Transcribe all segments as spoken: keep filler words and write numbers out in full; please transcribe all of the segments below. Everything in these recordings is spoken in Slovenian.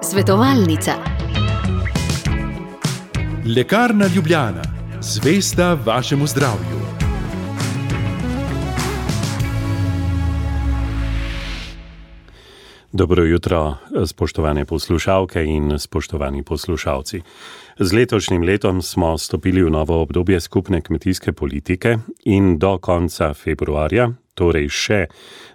Svetovalnica. Lekarna Ljubljana, zvesta vašemu zdravju. Dobro jutro, spoštovane poslušalke in spoštovani poslušalci. Z letošnjim letom smo stopili v novo obdobje skupne kmetijske politike in do konca februarja, torej še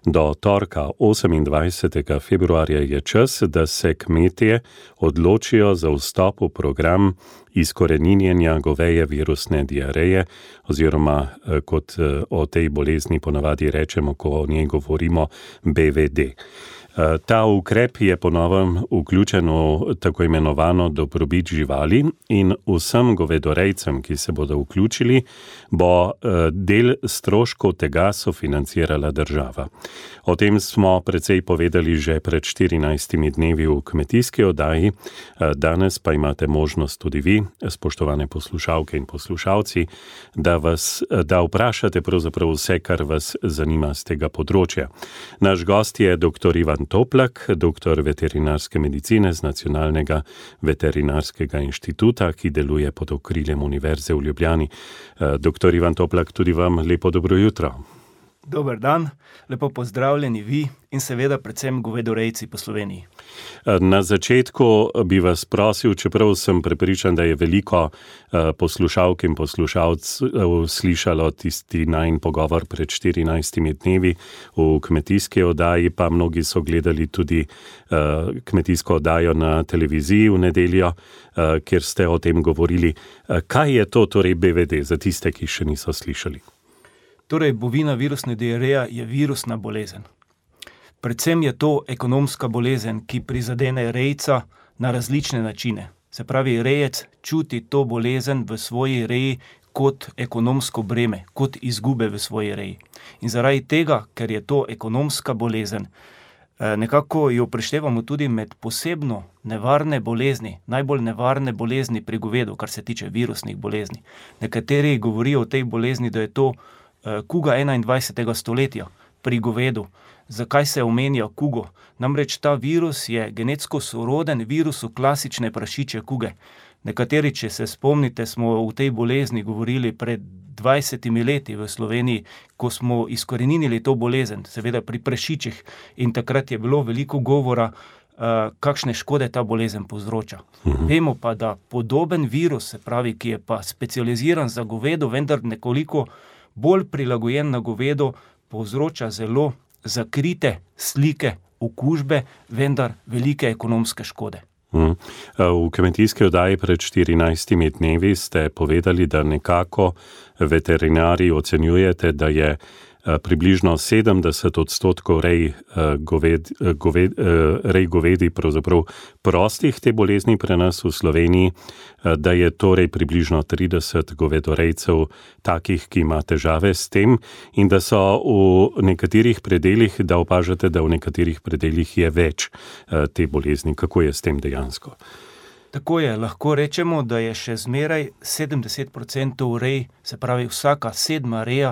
do torka osemindvajsetega februarja je čas, da se kmetje odločijo za vstop v program izkoreninjenja goveje virusne diareje oziroma kot o tej bolezni ponavadi rečemo, ko o njej govorimo, B V D. Ta ukrep je po novem vključen v tako imenovano dobrobit živali in vsem govedorejcem, ki se bodo vključili, bo del stroškov tega sofinancirala država. O tem smo precej povedali že pred štirinajstimi dnevi v kmetijski oddaji, danes pa imate možnost tudi vi, spoštovane poslušalke in poslušalci, da, vas, da vprašate pravzaprav vse, kar vas zanima z tega področja. Naš gost je doktor Ivan Toplak, doktor veterinarske medicine z Nacionalnega veterinarskega inštituta, ki deluje pod okriljem Univerze v Ljubljani. Doktor Ivan Toplak, tudi vam lepo dobro jutro. Dober dan, lepo pozdravljeni vi in seveda predvsem govedorejci po Sloveniji. Na začetku bi vas prosil, čeprav sem prepričan, da je veliko poslušalk in poslušalcev slišalo tisti najin pogovor pred štirinajstimi dnevi v kmetijski oddaji, pa mnogi so gledali tudi kmetijsko oddajo na televiziji v nedeljo, kjer ste o tem govorili. Kaj je to torej B V D za tiste, ki še niso slišali? Torej, bovina virusna diareja je virusna bolezen. Predvsem je to ekonomska bolezen, ki prizadene rejca na različne načine. Se pravi, rejec čuti to bolezen v svoji reji kot ekonomsko breme, kot izgube v svoji reji. In zaradi tega, ker je to ekonomska bolezen, nekako jo preštevamo tudi med posebno nevarne bolezni, najbolj nevarne bolezni pri govedu, kar se tiče virusnih bolezni. Nekateri govorijo o tej bolezni, da je to kuga enaindvajsetega stoletja pri govedu. Zakaj se omenja kugo? Namreč ta virus je genetsko soroden virusu klasične prašičje kuge. Nekateri, če se spomnite, smo v tej bolezni govorili pred dvajsetimi leti v Sloveniji, ko smo izkoreninili to bolezen, seveda pri prašičih, in takrat je bilo veliko govora, kakšne škode ta bolezen povzroča. Mhm. Vemo pa, da podoben virus, se pravi, ki je pa specializiran za govedo, vendar nekoliko bolj prilagojen na govedo, povzroča zelo zakrite slike okužbe, vendar velike ekonomske škode. Hmm. V kmetijski oddaji pred štirinajstimi dnevi ste povedali, da nekako veterinari ocenjujete, da je približno sedemdeset odstotkov rej govedi, goved, rej govedi pravzaprav prostih te bolezni pri nas v Sloveniji, da je torej približno trideset govedorejcev takih, ki ima težave s tem in da so v nekaterih predelih, da opažate, da v nekaterih predelih je več te bolezni. Kako je s tem dejansko? Tako je, lahko rečemo, da je še zmeraj sedemdeset procentov rej, se pravi vsaka sedma reja,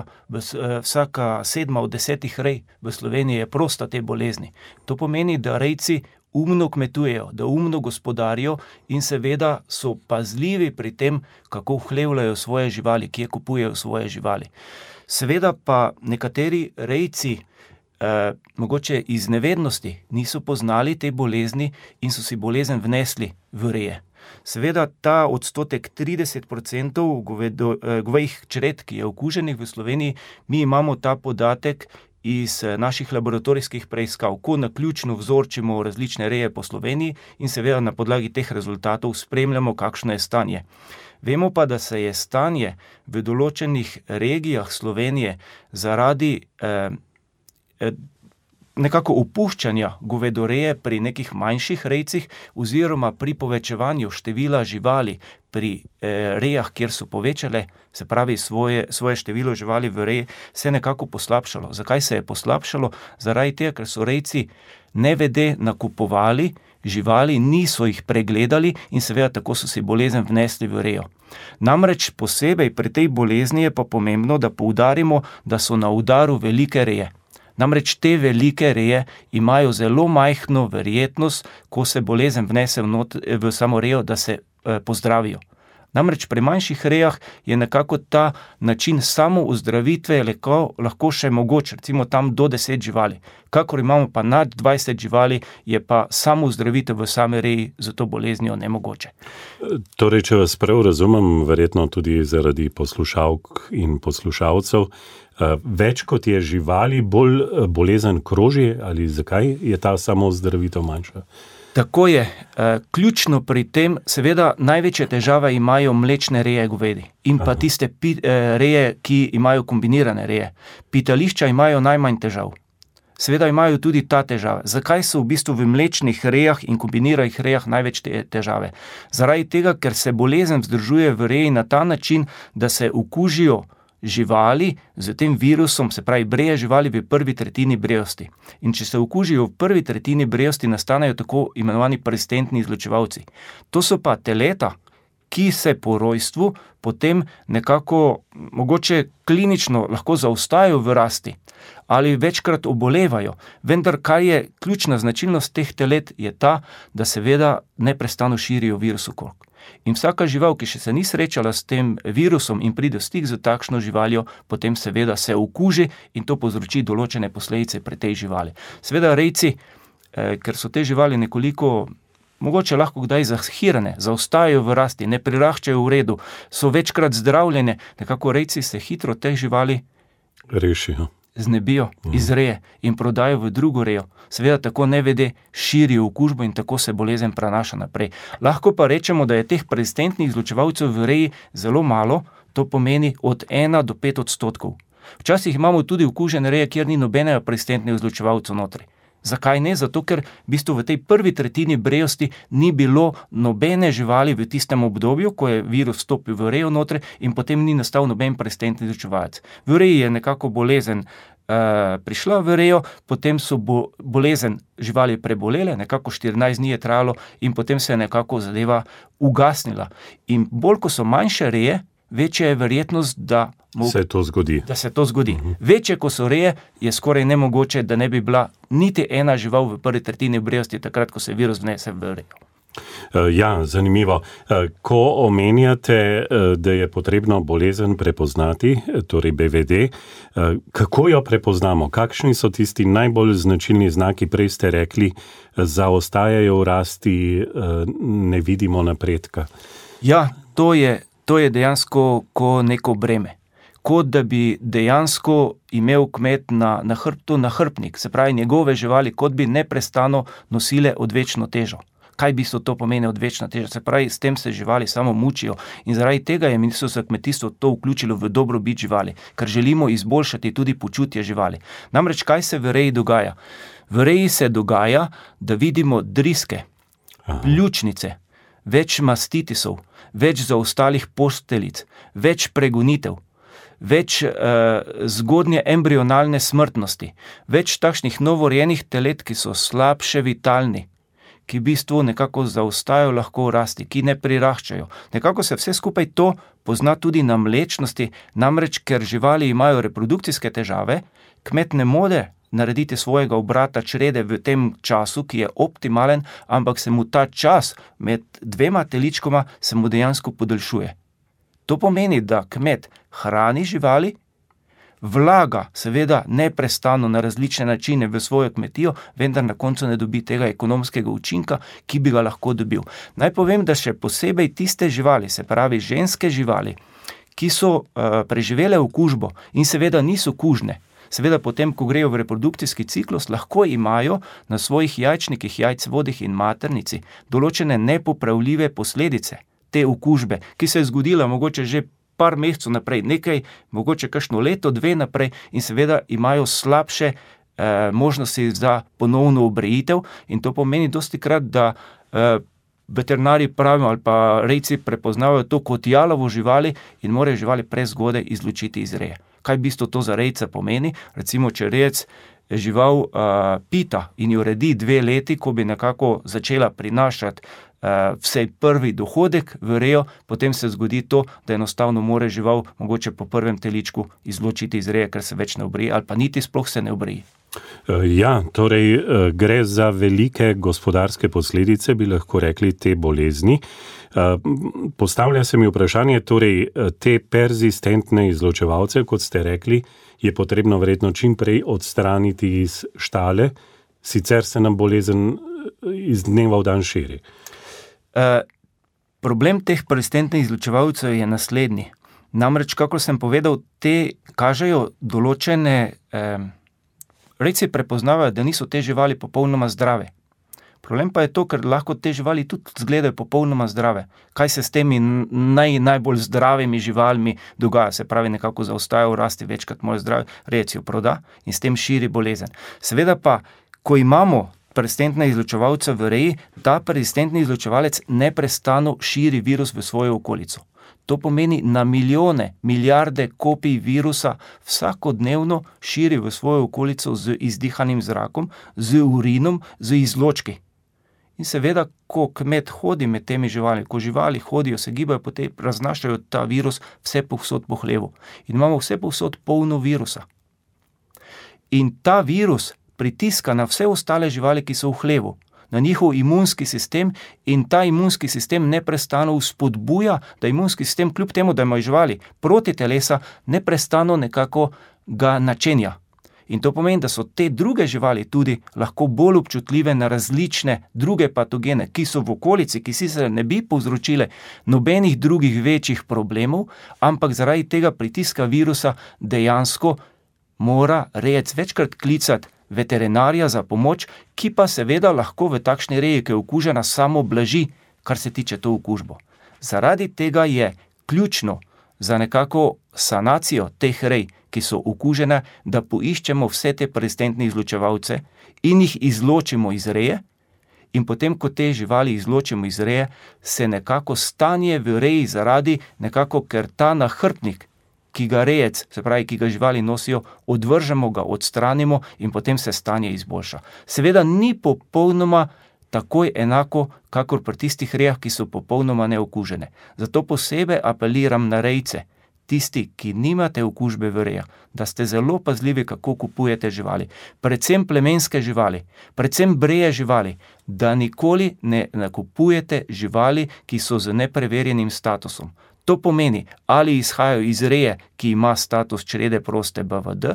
vsaka sedma od desetih rej v Sloveniji je prosta te bolezni. To pomeni, da rejci umno kmetujejo, da umno gospodarijo in seveda so pazljivi pri tem, kako vhlevljajo svoje živali, kje kupujejo svoje živali. Seveda pa nekateri rejci Eh, mogoče iz nevednosti niso poznali te bolezni in so si bolezen vnesli v reje. Seveda ta odstotek trideset procentov govedo, eh, govejih čred, ki je okuženih v Sloveniji, mi imamo ta podatek iz naših laboratorijskih preiskav, ko naključno vzorčimo različne reje po Sloveniji in seveda na podlagi teh rezultatov spremljamo, kakšno je stanje. Vemo pa, da se je stanje v določenih regijah Slovenije zaradi eh, nekako opuščanja govedoreje pri nekih manjših rejcih oziroma pri povečevanju števila živali pri eh, rejah, kjer so povečale, se pravi svoje, svoje število živali v reji, se je nekako poslabšalo. Zakaj se je poslabšalo? Zaradi tega, ker so rejci nevede nakupovali živali, niso jih pregledali in seveda tako so si bolezen vnesli v rejo. Namreč posebej pri tej bolezni je pa pomembno, da poudarimo, da so na udaru velike reje. Namreč te velike reje imajo zelo majhno verjetnost, ko se bolezen vnese v, not, v samo rejo, da se eh, pozdravijo. Namreč pri manjših rejah je nekako ta način samo ozdravitve lahko, lahko še mogoč, recimo tam do deset živali. Kakor imamo pa nad dvajset živali, je pa samo ozdravitev v same reji za to boleznijo nemogoče. Torej, če vas prav razumem, verjetno tudi zaradi poslušalk in poslušalcev, več kot je živali, bolj bolezen kroži, ali zakaj je ta samo ozdravitev manjša? Tako je. Ključno pri tem, seveda, največje težave imajo mlečne reje govedi in pa tiste reje, ki imajo kombinirane reje. Pitališča imajo najmanj težav. Seveda imajo tudi ta težave. Zakaj so v bistvu v mlečnih rejah in kombiniranih rejah največ te težave? Zaradi tega, ker se bolezen vzdržuje v reji na ta način, da se okužijo živali z tem virusom, se pravi breje živali v prvi tretjini brejosti. In če se okužijo v prvi tretjini brejosti, nastanejo tako imenovani persistentni izločevalci. To so pa teleta, ki se po rojstvu potem nekako mogoče klinično lahko zaostajajo v rasti ali večkrat obolevajo. Vendar, kar je ključna značilnost teh telet, je ta, da seveda neprestano širijo virus okrog. In vsaka žival, ki še se ni srečala s tem virusom in pride v stik z takšno živaljo, potem seveda se okuži in to povzroči določene posledice pri tej živali. Seveda rejci, eh, ker so te živali nekoliko mogoče lahko kdaj zahirane, zaostajajo v rasti, ne priraščajo v redu, so večkrat zdravljene, nekako rejci se hitro teh živali rešijo. Znebijo iz reje in prodajo v drugo rejo. Seveda tako nevede širijo okužbo in tako se bolezen prenaša naprej. Lahko pa rečemo, da je teh persistentnih izločevalcev v reji zelo malo, to pomeni od ena do pet odstotkov. Včasih imamo tudi okužene reje, kjer ni nobenega persistentnega izločevalca notri. Zakaj ne? Zato, ker v bistvu v tej prvi tretjini brejosti ni bilo nobene živali v tistem obdobju, ko je virus vstopil v rejo notri in potem ni nastal noben persistentni izločevalec. V reji je nekako bolezen uh, prišla v rejo, potem so bo, bolezen živali prebolele, nekako štirinajst dni je trajalo in potem se je nekako zadeva ugasnila. In bolj, ko so manjše reje, večja je verjetnost, da se to zgodi. Da se to zgodi. Uh-huh. Večje, ko so reje, je skoraj nemogoče, da ne bi bila niti ena žival v prvi tretjini brejosti, takrat, ko se virus vnese v rejo. Ja, zanimivo. Ko omenjate, da je potrebno bolezen prepoznati, torej B V D, kako jo prepoznamo? Kakšni so tisti najbolj značilni znaki? Prej ste rekli, zaostajajo v rasti, ne vidimo napredka. Ja, to je, to je dejansko ko neko breme. Kot da bi dejansko imel kmet na, na hrbtu nahrbtnik, se pravi njegove živali, kot bi neprestano nosile odvečno težo. Kaj bi so to pomeni odvečna teža? Se pravi, s tem se živali samo mučijo in zaradi tega je Ministrstvo za kmetijstvo to vključilo v dobrobit živali, ker želimo izboljšati tudi počutje živali. Namreč, kaj se v reji dogaja? V reji se dogaja, da vidimo driske, pljučnice, več mastitisov, več zaostalih posteljic, več pregonitev, več uh, zgodnje embrionalne smrtnosti, več takšnih novorojenih telet, ki so slabše vitalni, ki v bistvu nekako zaostajajo lahko v rasti, ki ne priraščajo. Nekako se vse skupaj to pozna tudi na mlečnosti, namreč ker živali imajo reprodukcijske težave, kmet ne more narediti svojega obrata črede v tem času, ki je optimalen, ampak se mu ta čas med dvema teličkoma se mu dejansko podaljšuje. To pomeni, da kmet hrani živali, vlaga seveda neprestano na različne načine v svojo kmetijo, vendar na koncu ne dobi tega ekonomskega učinka, ki bi ga lahko dobil. Naj povem, da še posebej tiste živali, se pravi ženske živali, ki so uh, preživele okužbo in seveda niso kužne, seveda potem, ko grejo v reprodukcijski ciklus, lahko imajo na svojih jajčnikih, jajcevodih in maternici določene nepopravljive posledice te okužbe, ki se je zgodila mogoče že par mesecev naprej, nekaj, mogoče kakšno leto, dve naprej in seveda imajo slabše eh, možnosti za ponovno obrejitev in to pomeni dostikrat, da eh, veterinari pravijo ali pa rejci prepoznavajo to kot jalovo živali in morajo živali prezgodaj izločiti iz reje. Kaj v bistvu to za rejca pomeni? Recimo, če rejec žival uh, pita in jo redi dve leti, ko bi nekako začela prinašati uh, vsej prvi dohodek v rejo, potem se zgodi to, da enostavno more žival mogoče po prvem teličku izločiti iz reje, ker se več ne obrije, ali pa niti sploh se ne obrije. Ja, torej gre za velike gospodarske posledice, bi lahko rekli, te bolezni. Postavlja se mi vprašanje, torej te perzistentne izločevalce, kot ste rekli, je potrebno verjetno čim prej odstraniti iz štale, sicer se nam bolezen iz dneva v dan širi. Uh, problem teh perzistentnih izločevalcev je naslednji. Namreč, kako sem povedal, te kažejo določene... Um, Rejci prepoznavajo, da niso te živali popolnoma zdrave. Problem pa je to, ker lahko te živali tudi izgledajo popolnoma zdrave. Kaj se s temi naj, najbolj zdravimi živalmi dogaja? Se pravi, nekako zaostajajo v rasti, večkrat morajo zdravi, rejec jo proda in s tem širi bolezen. Seveda pa, ko imamo perzistentne izločevalce v reji, ta perzistentni izločevalec neprestano širi virus v svojo okolico. To pomeni na milijone, milijarde kopij virusa vsakodnevno širi v svojo okolico z izdihanim zrakom, z urinom, z izločki. In seveda, ko kmet hodi med temi živali, ko živali hodijo, se gibajo, potem raznašajo ta virus vse povsod po hlevu. In imamo vse povsod polno virusa. In ta virus pritiska na vse ostale živali, ki so v hlevu, na njihov imunski sistem, in ta imunski sistem neprestano vzpodbuja, da imunski sistem, kljub temu, da imajo živali proti telesa, neprestano nekako ga načenja. In to pomeni, da so te druge živali tudi lahko bolj občutljive na različne druge patogene, ki so v okolici, ki sicer ne bi povzročile nobenih drugih večjih problemov, ampak zaradi tega pritiska virusa dejansko mora rejec večkrat klicati veterinarja za pomoč, ki pa seveda lahko v takšni reji, ki je okužena, samo blaži, kar se tiče to okužbo. Zaradi tega je ključno za nekako sanacijo teh rej, ki so okužene, da poiščemo vse te perzistentne izločevalce in jih izločimo iz reje, in potem, ko te živali izločimo iz reje, se nekako stanje v reji zaradi nekako, ker ta nahrbtnik, ki ga rejec, se pravi, ki ga živali nosijo, odvržemo ga, odstranimo in potem se stanje izboljša. Seveda ni popolnoma takoj enako, kakor pri tistih rejah, ki so popolnoma neokužene. Zato posebej apeliram na rejce, tisti, ki nimate okužbe v rejah, da ste zelo pazljivi, kako kupujete živali. Predvsem plemenske živali, predvsem breje živali, da nikoli ne nakupujete živali, ki so z nepreverjenim statusom. To pomeni, ali izhajajo iz reje, ki ima status črede proste B V D,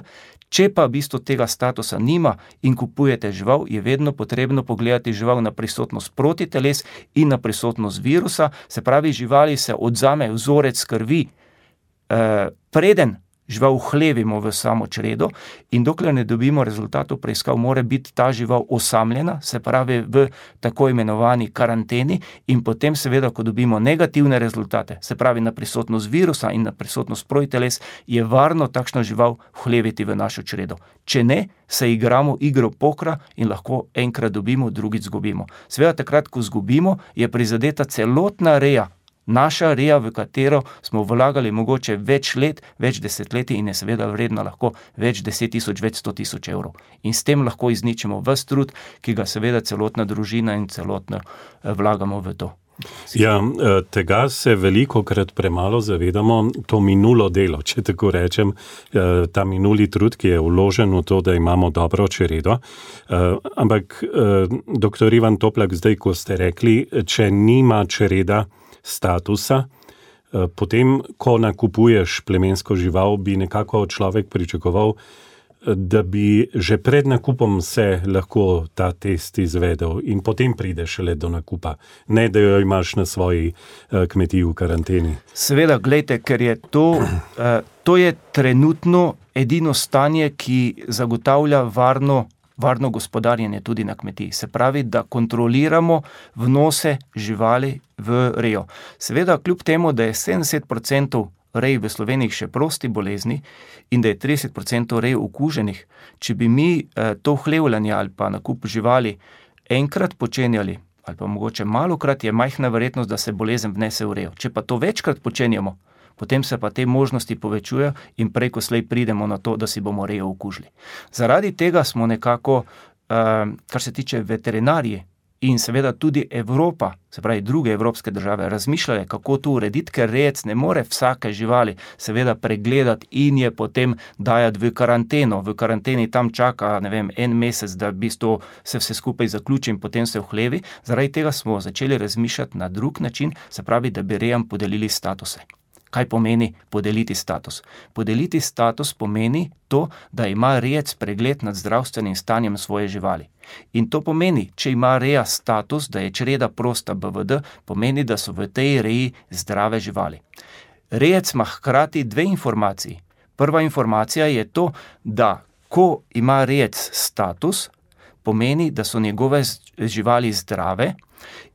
če pa v bistvu tega statusa nima in kupujete žival, je vedno potrebno pogledati žival na prisotnost protiteles in na prisotnost virusa, se pravi, živali se odzame vzorec krvi, eh, preden žival vhlevimo v samo čredo, in dokler ne dobimo rezultatov preiskav, mora biti ta žival osamljena, se pravi v tako imenovani karanteni, in potem seveda, ko dobimo negativne rezultate, se pravi na prisotnost virusa in na prisotnost protiteles, je varno takšno žival vhleviti v našo čredo. Če ne, se igramo igro pokra in lahko enkrat dobimo, drugič zgubimo. Seveda takrat, ko zgubimo, je prizadeta celotna reja, naša reja, v katero smo vlagali mogoče več let, več desetletij in je seveda vredna lahko več deset tisoč, več sto tisoč evrov. In s tem lahko izničimo ves trud, ki ga seveda celotna družina in celotno vlagamo v to. Ja, tega se velikokrat premalo zavedamo, to minulo delo, če tako rečem, ta minuli trud, ki je vložen v to, da imamo dobro čredo. Ampak, doktor Ivan Toplak, zdaj, ko ste rekli, če nima čreda statusa, potem, ko nakupuješ plemensko žival, bi nekako človek pričakoval, da bi že pred nakupom se lahko ta test izvedel in potem prideš šele do nakupa, ne da jo imaš na svoji kmetiji v karanteni. Seveda, glejte, ker je to, to je trenutno edino stanje, ki zagotavlja varno varno gospodarjenje tudi na kmetiji. Se pravi, da kontroliramo vnose živali v rejo. Seveda, kljub temu, da je sedemdeset procentov rej v Sloveniji še prosti bolezni in da je trideset procentov rej okuženih, če bi mi eh, to hlevljanje ali pa nakup živali enkrat počenjali, ali pa mogoče malokrat, je majhna verjetnost, da se bolezen vnese v rejo. Če pa to večkrat počenjamo, potem se pa te možnosti povečujejo in preko slej pridemo na to, da si bomo rejo okužili. Zaradi tega smo nekako, kar se tiče veterinarije, in seveda tudi Evropa, se pravi druge evropske države, razmišljale, kako to urediti, ker rejec ne more vsake živali seveda pregledati in je potem dajati v karanteno. V karanteni tam čaka, ne vem, en mesec, da v bistvu se vse skupaj zaključi in potem se vhlevi. Zaradi tega smo začeli razmišljati na drug način, se pravi, da bi rejam podelili statuse. Kaj pomeni podeliti status? Podeliti status pomeni to, da ima rejec pregled nad zdravstvenim stanjem svoje živali. In to pomeni, če ima reja status, da je čreda prosta B V D, pomeni, da so v tej reji zdrave živali. Rejec ima hkrati dve informaciji. Prva informacija je to, da ko ima rejec status, pomeni, da so njegove živali zdrave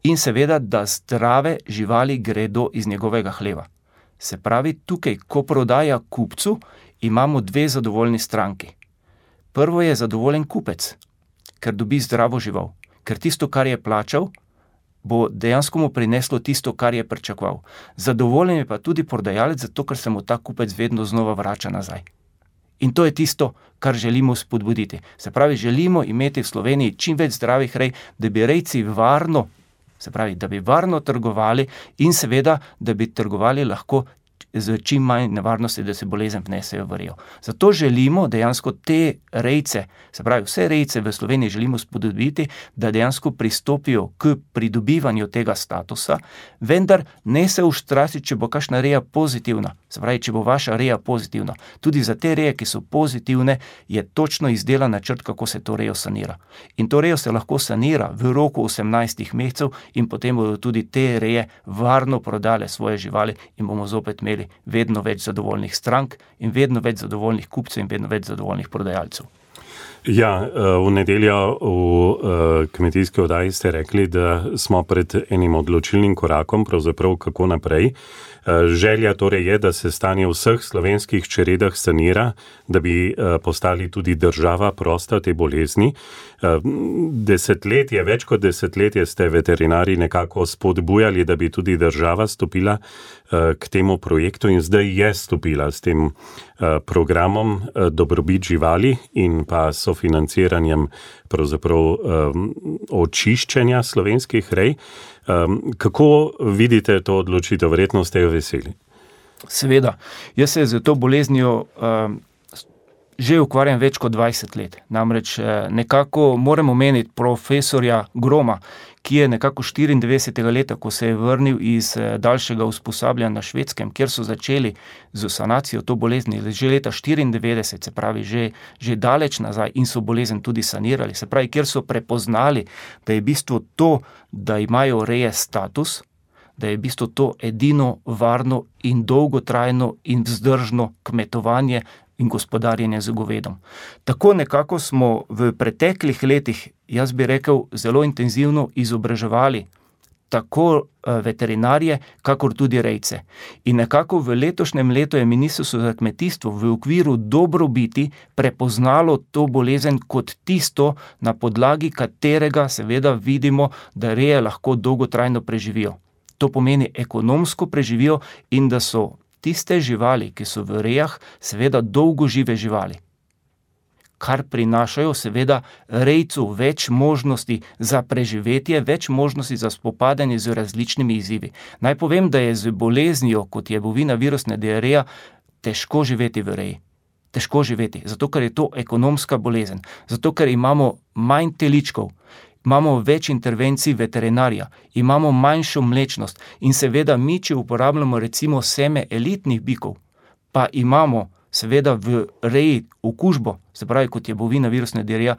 in seveda, da zdrave živali gredo iz njegovega hleva. Se pravi, tukaj, ko prodaja kupcu, imamo dve zadovoljni stranki. Prvo je zadovoljen kupec, ker dobi zdravo žival, ker tisto, kar je plačal, bo dejansko mu prineslo tisto, kar je pričakoval. Zadovoljen je pa tudi prodajalec, zato ker se mu ta kupec vedno znova vrača nazaj. In to je tisto, kar želimo spodbuditi. Se pravi, želimo imeti v Sloveniji čim več zdravih rej, da bi rejci varno, se pravi, da bi varno trgovali in seveda, da bi trgovali lahko z čim manj nevarnosti, da se bolezen vnesejo v rejo. Zato želimo dejansko te rejce, se pravi vse rejce v Sloveniji želimo spodbuditi, da dejansko pristopijo k pridobivanju tega statusa, vendar ne se uštrasi, če bo kakšna reja pozitivna. Se pravi, če bo vaša reja pozitivna. Tudi za te reje, ki so pozitivne, je točno izdelan načrt, kako se to rejo sanira. In to rejo se lahko sanira v roku osemnajstih mesecev in potem bodo tudi te reje varno prodale svoje živali in bomo zopet imeli vedno več zadovoljnih strank in vedno več zadovoljnih kupcev in vedno več zadovoljnih prodajalcev. Ja, v nedeljo v kmetijski oddaji ste rekli, da smo pred enim odločilnim korakom, pravzaprav kako naprej. Želja torej je, da se stanje v vseh slovenskih čredah sanira, da bi postali tudi država prosta te bolezni. Desetletje, več kot desetletje ste veterinari nekako spodbujali, da bi tudi država stopila k temu projektu in zdaj je stopila s tem programom dobrobit živali in pa sofinanciranjem pravzaprav očiščenja slovenskih rej. Kako vidite to odločitev? Verjetno ste jo veseli. Seveda. Jaz se z to boleznijo že ukvarjam več kot dvajset let. Namreč nekako moram omeniti profesorja Groma, ki je nekako štiriindevetdesetega leta, ko se je vrnil iz daljšega usposabljanja na Švedskem, kjer so začeli z sanacijo to bolezni, že leta štiriindevetdeset, se pravi že, že daleč nazaj in so bolezen tudi sanirali. Se pravi, kjer so prepoznali, da je v bistvu to, da imajo reje status, da je v bistvu to edino varno in dolgotrajno in vzdržno kmetovanje in gospodarjenje z govedom. Tako nekako smo v preteklih letih, jaz bi rekel, zelo intenzivno izobraževali tako veterinarje, kakor tudi rejce. In nekako v letošnjem letu je Ministrstvo za kmetijstvo v okviru dobrobiti prepoznalo to bolezen kot tisto, na podlagi katerega seveda vidimo, da reje lahko dolgotrajno preživijo. To pomeni ekonomsko preživijo in da so tiste živali, ki so v rejah, seveda dolgožive živali, kar prinašajo seveda rejcu več možnosti za preživetje, več možnosti za spopadanje z različnimi izzivi. Naj povem, da je z boleznijo, kot je bovina virusna diareja, težko živeti v reji. Težko živeti, zato ker je to ekonomska bolezen, zato ker imamo manj teličkov, imamo več intervencij veterinarja, imamo manjšo mlečnost in seveda mi, če uporabljamo recimo seme elitnih bikov, pa imamo seveda v reji okužbo, se pravi, kot je bovina virusna diareja,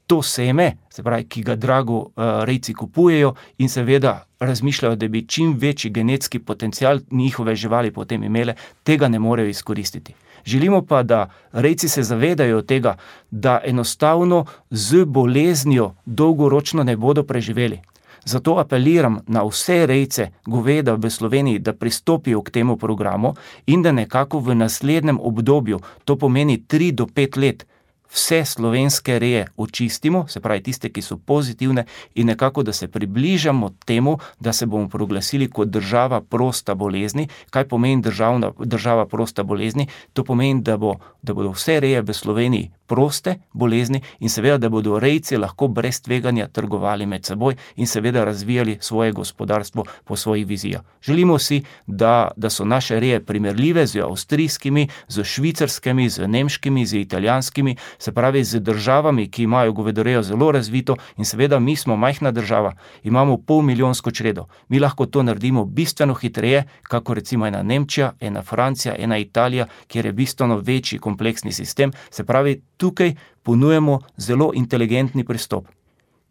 to seme, se pravi, ki ga drago uh, rejci kupujejo in seveda razmišljajo, da bi čim večji genetski potencial njihove živali potem imele, tega ne morejo izkoristiti. Želimo pa, da rejci se zavedajo tega, da enostavno z boleznijo dolgoročno ne bodo preživeli. Zato apeliram na vse rejce goveda v Sloveniji, da pristopijo k temu programu in da nekako v naslednjem obdobju, to pomeni tri do pet let, vse slovenske reje očistimo, se pravi tiste, ki so pozitivne, in nekako, da se približamo temu, da se bomo proglasili kot država prosta bolezni. Kaj pomeni državna, država prosta bolezni? To pomeni, da, bo, da bodo vse reje v Sloveniji proste bolezni in seveda, da bodo rejci lahko brez tveganja trgovali med seboj in seveda razvijali svoje gospodarstvo po svojih vizijah. Želimo si, da, da so naše reje primerljive z avstrijskimi, z švicarskimi, z nemškimi, z italijanskimi, se pravi z državami, ki imajo govedorejo zelo razvito in seveda mi smo majhna država, imamo pol milijonsko čredo. Mi lahko to naredimo bistveno hitreje, kako recimo ena Nemčija, ena Francija, ena Italija, kjer je bistveno večji kompleksni sistem. Se pravi, tukaj ponujemo zelo inteligentni pristop,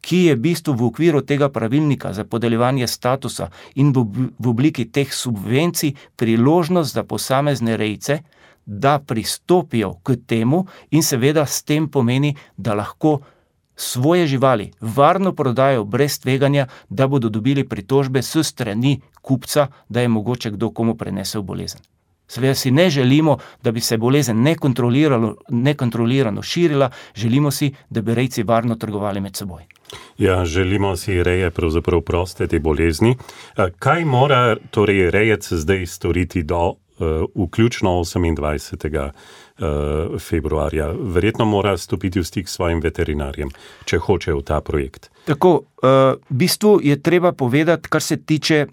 ki je v bistvu v okviru tega pravilnika za podeljevanje statusa in v, v obliki teh subvencij priložnost za posamezne rejce, da pristopijo k temu in seveda s tem pomeni, da lahko svoje živali varno prodajo brez tveganja, da bodo dobili pritožbe s strani kupca, da je mogoče kdo komu prenesel bolezen. Seveda si ne želimo, da bi se bolezen nekontrolirano, nekontrolirano širila, želimo si, da bi rejci varno trgovali med seboj. Ja, želimo si reje pravzaprav proste te bolezni. Kaj mora torej rejec zdaj storiti do uh, vključno osemindvajsetega februarja? Verjetno mora stopiti v stik s svojim veterinarjem, če hoče v ta projekt. Tako, v bistvu je treba povedati, kar se tiče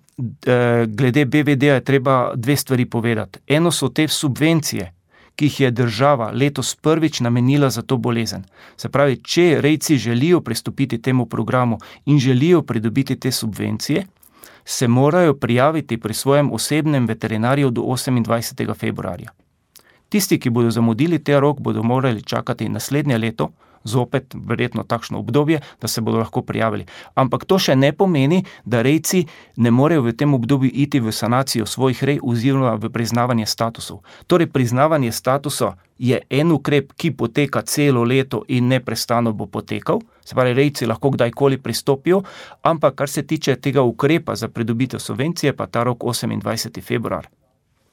glede B V D-ja, je treba dve stvari povedati. Eno so te subvencije, ki jih je država letos prvič namenila za to bolezen. Se pravi, če rejci želijo pristopiti temu programu in želijo pridobiti te subvencije, se morajo prijaviti pri svojem osebnem veterinarju do osemindvajsetega februarja. Tisti, ki bodo zamudili te rok, bodo morali čakati naslednje leto, zopet verjetno takšno obdobje, da se bodo lahko prijavili. Ampak to še ne pomeni, da rejci ne morejo v tem obdobju iti v sanacijo svojih rej oziroma v priznavanje statusov. Torej, priznavanje statusa je en ukrep, ki poteka celo leto in neprestano bo potekal. Se pravi, rejci lahko kdajkoli pristopijo, ampak kar se tiče tega ukrepa za pridobitev subvencije, pa ta rok osemindvajseti februar.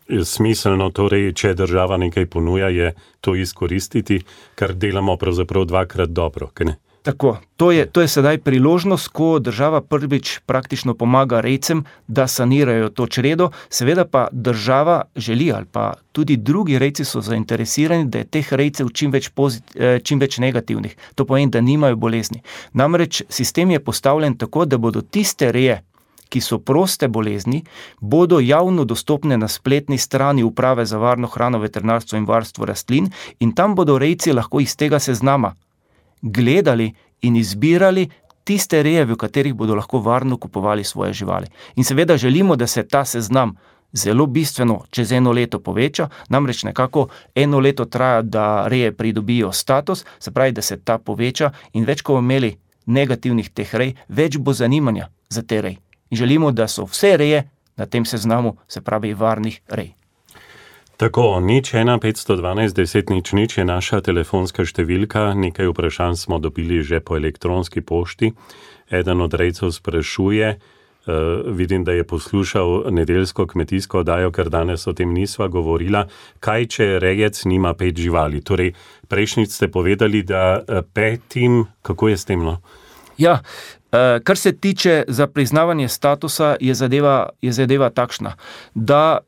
Smiselno torej, če država nekaj ponuja, je to izkoristiti, kar delamo pravzaprav dvakrat dobro, kaj ne? Tako, to je, to je sedaj priložnost, ko država prvič praktično pomaga rejcem, da sanirajo to čredo, seveda pa država želi, ali pa tudi drugi rejci so zainteresirani, da je teh rejcev čim več, pozit, čim več negativnih. To pomeni, da nimajo bolezni. Namreč sistem je postavljen tako, da bodo tiste reje, ki so proste bolezni, bodo javno dostopne na spletni strani Uprave za varno hrano, veterinarstvo in varstvo rastlin in tam bodo rejci lahko iz tega seznama gledali in izbirali tiste reje, v katerih bodo lahko varno kupovali svoje živali. In seveda želimo, da se ta seznam zelo bistveno čez eno leto poveča, namreč nekako eno leto traja, da reje pridobijo status, se pravi, da se ta poveča in več, ko bomo imeli negativnih teh rej, več bo zanimanja za te rej. In želimo, da so vse reje na tem seznamu, se pravi, varnih rej. Tako, nič ena petsto dvanajst deset nič nič je naša telefonska številka, nekaj vprašanj smo dobili že po elektronski pošti. Eden od rejcev sprašuje, uh, vidim, da je poslušal nedeljsko kmetijsko oddajo, ker danes o tem nisva govorila, kaj če rejec nima pet živali. Torej, prejšnjič ste povedali, da petim, kako je s tem, no? Ja, kar se tiče za priznavanje statusa, je zadeva, je zadeva takšna, da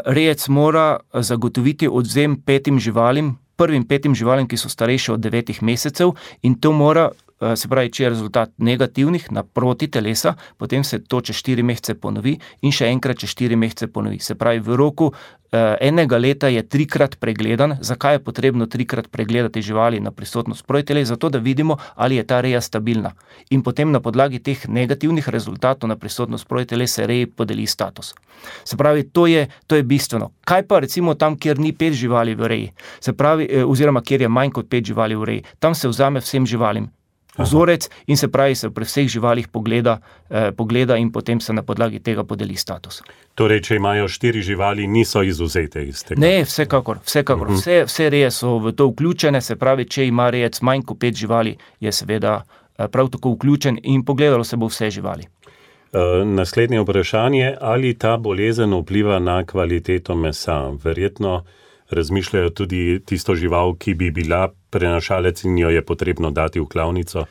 rejec mora zagotoviti odvzem petim živalim, prvim petim živalim, ki so starejše od devetih mesecev in to mora, se pravi, če je rezultat negativnih naproti telesa, potem se to čez štiri mesece ponovi in še enkrat čez štiri mesece ponovi. Se pravi, v roku enega leta je trikrat pregledan. Zakaj je potrebno trikrat pregledati živali na prisotnost protiteles? Zato, da vidimo, ali je ta reja stabilna. In potem na podlagi teh negativnih rezultatov na prisotnost protiteles se reji podeli status. Se pravi, to je, to je bistveno. Kaj pa recimo tam, kjer ni pet živali v reji? Se pravi, oziroma kjer je manj kot pet živali v reji. Tam se vzame vsem živalim vzorec in se pravi, se pri vseh živalih pogleda, eh, pogleda in potem se na podlagi tega podeli status. Torej, če imajo štiri živali, niso izvzete iz tega? Ne, vsekakor, vsekakor. Uh-huh. Vse, vse reje so v to vključene, se pravi, če ima rejec manj kot pet živali, je seveda eh, prav tako vključen in pogledalo se bo vse živali. Uh, naslednje vprašanje, ali ta bolezen vpliva na kvaliteto mesa? Verjetno razmišljajo tudi tisto žival, ki bi bila prenašalec in jo je potrebno dati v klavnico?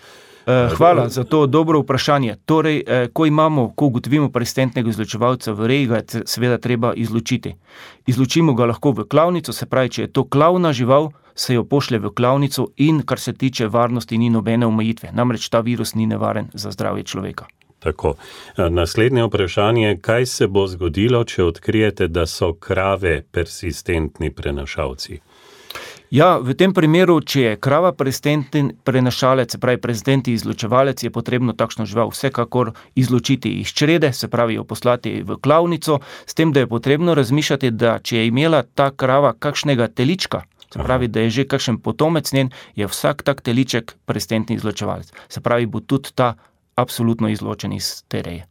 Hvala za to dobro vprašanje. Torej, ko imamo, ko ugotovimo persistentnega izločevalca v reji, ga je seveda treba izločiti. Izločimo ga lahko v klavnico, se pravi, če je to klavna žival, se jo pošlje v klavnico in kar se tiče varnosti ni nobene omejitve. Namreč ta virus ni nevaren za zdravje človeka. Tako. Naslednje vprašanje, kaj se bo zgodilo, če odkrijete, da so krave persistentni prenašalci? Ja, v tem primeru, če je krava persistentni prenašalec, se pravi persistentni izločevalec, je potrebno takšno žival vsekakor izločiti iz črede, se pravi jo poslati v klavnico, s tem, da je potrebno razmišljati, da če je imela ta krava kakšnega telička, se pravi, da je že kakšen potomec njen, je vsak tak teliček persistentni izločevalec. Se pravi, bo tudi ta absolutno izločen iz te reje.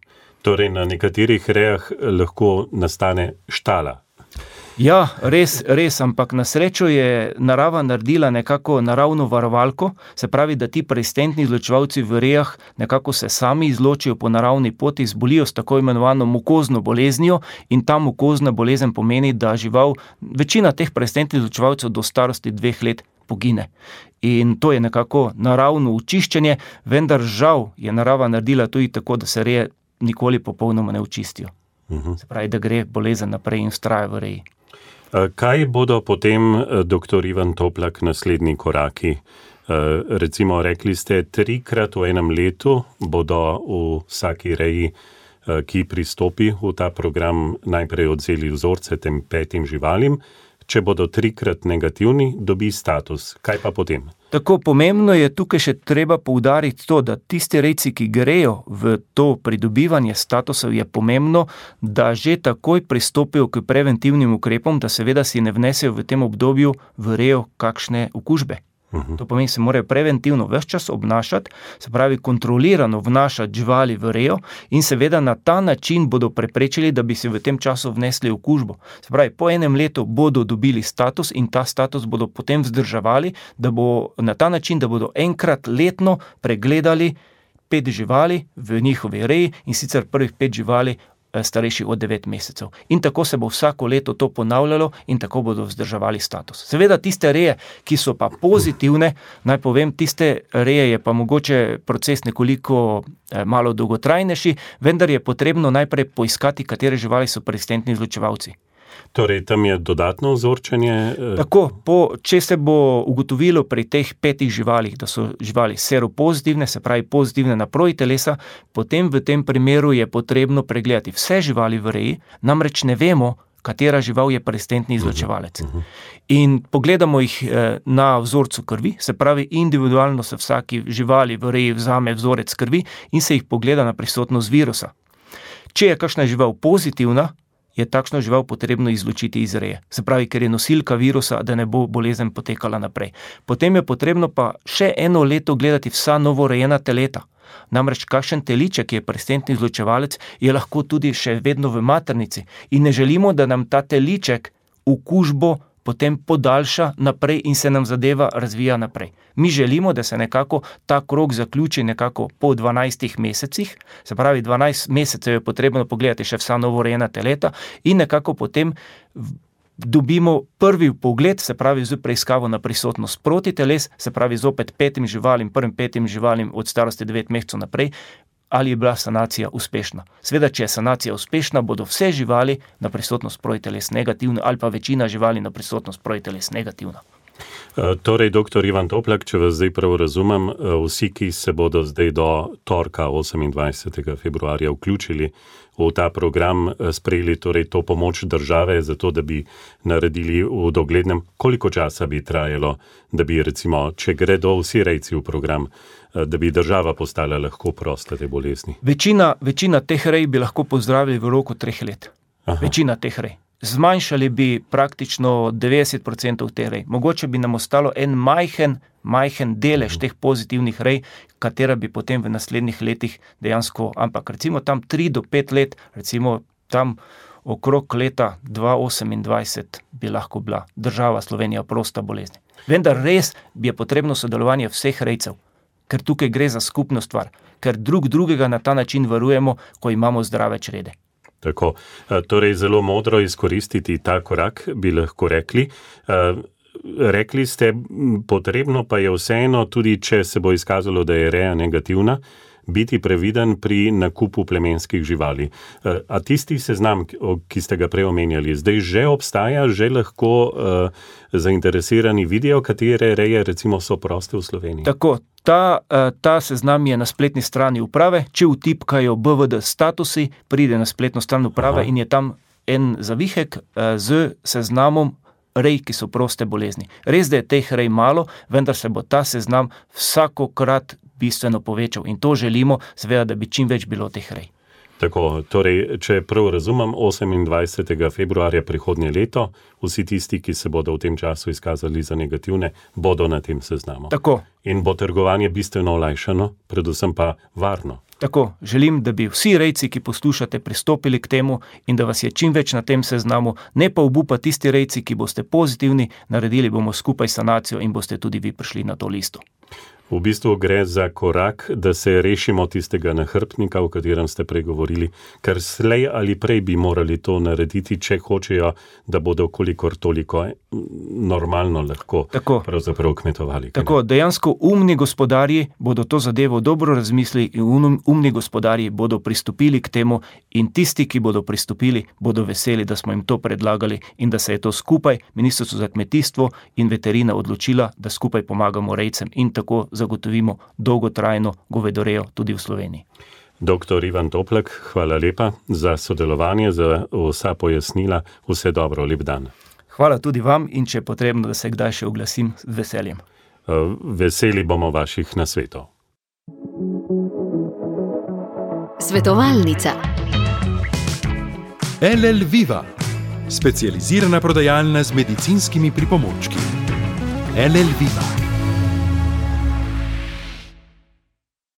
Torej, na nekaterih rejah lahko nastane štala. Ja, res, res, ampak na srečo je narava naredila nekako naravno varovalko, se pravi, da ti persistentni izločevalci v rejah nekako se sami izločijo po naravni poti, zbolijo s tako imenovano mukozno boleznijo in ta mukozna bolezen pomeni, da žival, večina teh persistentnih izločevalcev do starosti dveh let pogine. In to je nekako naravno očiščenje, vendar žal je narava naredila tudi tako, da se reje nikoli popolnoma ne očistijo. Uh-huh. Se pravi, da gre bolezen naprej in vztraja v reji. Kaj bodo potem, doktor Ivan Toplak, naslednji koraki? Recimo, rekli ste, trikrat v enem letu bodo v vsaki reji, ki pristopi v ta program, najprej odzeli vzorce tem petim živalim. Če bodo trikrat negativni, dobi status. Kaj pa potem? Tako pomembno je tukaj še treba poudariti to, da tisti rejci, ki grejo v to pridobivanje statusov, je pomembno, da že takoj pristopijo k preventivnim ukrepom, da seveda si ne vnesejo v tem obdobju v rejo kakšne okužbe. To pomeni, se morajo preventivno ves čas obnašati, se pravi kontrolirano vnašati živali v rejo in seveda na ta način bodo preprečili, da bi se v tem času vnesli okužbo. Se pravi, po enem letu bodo dobili status in ta status bodo potem vzdrževali, da bo na ta način, da bodo enkrat letno pregledali pet živali v njihovi reji in sicer prvih pet živali starejši od devet mesecev. In tako se bo vsako leto to ponavljalo in tako bodo vzdrževali status. Seveda tiste reje, ki so pa pozitivne, naj povem, tiste reje je pa mogoče proces nekoliko eh, malo dolgotrajnejši, vendar je potrebno najprej poiskati, katere živali so persistentni izločevalci. Torej, tam je dodatno vzorčenje? Tako, po, če se bo ugotovilo pri teh petih živalih, da so živali seropozitivne, se pravi pozitivne na protitelesa, potem v tem primeru je potrebno pregledati vse živali v reji, namreč ne vemo, katera žival je persistentni izločevalec. In pogledamo jih na vzorcu krvi, se pravi individualno se vsaki živali v reji vzame vzorec krvi in se jih pogleda na prisotnost virusa. Če je kakšna žival pozitivna, je takšno žival potrebno izločiti iz reje. Se pravi, ker je nosilka virusa, da ne bo bolezen potekala naprej. Potem je potrebno pa še eno leto gledati vsa novorejena teleta. Namreč kakšen teliček, ki je persistentni izločevalec, je lahko tudi še vedno v maternici. In ne želimo, da nam ta teliček okužbo potem podaljša naprej in se nam zadeva razvija naprej. Mi želimo, da se nekako ta krog zaključi nekako po dvanajstih mesecih, se pravi dvanajst mesecev je potrebno pogledati še vsa novorejena teleta in nekako potem dobimo prvi pogled, se pravi z preiskavo na prisotnost protiteles, se pravi zopet petim živalim, prvim petim živalim od starosti devet mesecev naprej, ali je bila sanacija uspešna. Sveda, če je sanacija uspešna, bodo vse živali na prisotnost protiteles negativne ali pa večina živali na prisotnost protiteles negativna. Torej, doktor Ivan Toplak, če vas zdaj prav razumem, vsi, ki se bodo zdaj do torka osemindvajsetega februarja vključili v ta program, sprejeli torej to pomoč države, zato da bi naredili v doglednem, koliko časa bi trajalo, da bi recimo, če gredo vsi rejci v program, da bi država postala lahko prosta te bolezni? Večina, večina teh rej bi lahko pozdravili v roku treh let. Aha. Večina teh rej. Zmanjšali bi praktično devetdeset procentov teh rej. Mogoče bi nam ostalo en majhen, majhen delež teh pozitivnih rej, katera bi potem v naslednjih letih dejansko, ampak recimo tam tri do pet let, recimo tam okrog leta dva osemindvajset bi lahko bila država Slovenija prosta bolezni. Vendar res bi je potrebno sodelovanje vseh rejcev, ker tukaj gre za skupno stvar, ker drug drugega na ta način varujemo, ko imamo zdrave črede. Tako, torej zelo modro izkoristiti ta korak, bi lahko rekli. Rekli ste, potrebno pa je vseeno, tudi če se bo izkazalo, da je reja negativna, biti previden pri nakupu plemenskih živali. A tisti seznam, ki ste ga prej omenjali, zdaj že obstaja, že lahko uh, zainteresirani vidijo, katere reje recimo so proste v Sloveniji? Tako, ta, ta seznam je na spletni strani uprave. Če vtipkajo B V D statusi, pride na spletno stran uprave. Aha. In je tam en zavihek uh, z seznamom rej, ki so proste bolezni. Res, da je teh rej malo, vendar se bo ta seznam vsakokrat bistveno povečal in to želimo, seveda, da bi čim več bilo teh rej. Tako, torej, če prav razumem, osemindvajsetega februarja prihodnje leto, vsi tisti, ki se bodo v tem času izkazali za negativne, bodo na tem seznamu. Tako. In bo trgovanje bistveno olajšano, predvsem pa varno. Tako, želim, da bi vsi rejci, ki poslušate, pristopili k temu in da vas je čim več na tem seznamu, ne pa obupa tisti rejci, ki boste pozitivni, naredili bomo skupaj sanacijo in boste tudi vi prišli na to listo. V bistvu gre za korak, da se rešimo tistega nahrbtnika, o katerem ste pregovorili, ker slej ali prej bi morali to narediti, če hočejo, da bodo kolikor toliko normalno lahko tako, pravzaprav kmetovali. Tako, dejansko umni gospodarji bodo to zadevo dobro razmislili in um, umni gospodarji bodo pristopili k temu in tisti, ki bodo pristopili, bodo veseli, da smo jim to predlagali in da se je to skupaj Ministrstvo za kmetijstvo in veterina odločila, da skupaj pomagamo rejcem in tako zagotovimo dolgotrajno govedorejo tudi v Sloveniji. Doktor Ivan Toplak, hvala lepa za sodelovanje, za vsa pojasnila. Vse dobro, lep dan. Hvala tudi vam in če je potrebno, da se kdaj še oglasim, z veseljem. Veseli bomo vaših nasvetov. Svetovalnica. L L Viva, specializirana prodajalna z medicinskimi pripomočki. L L Viva.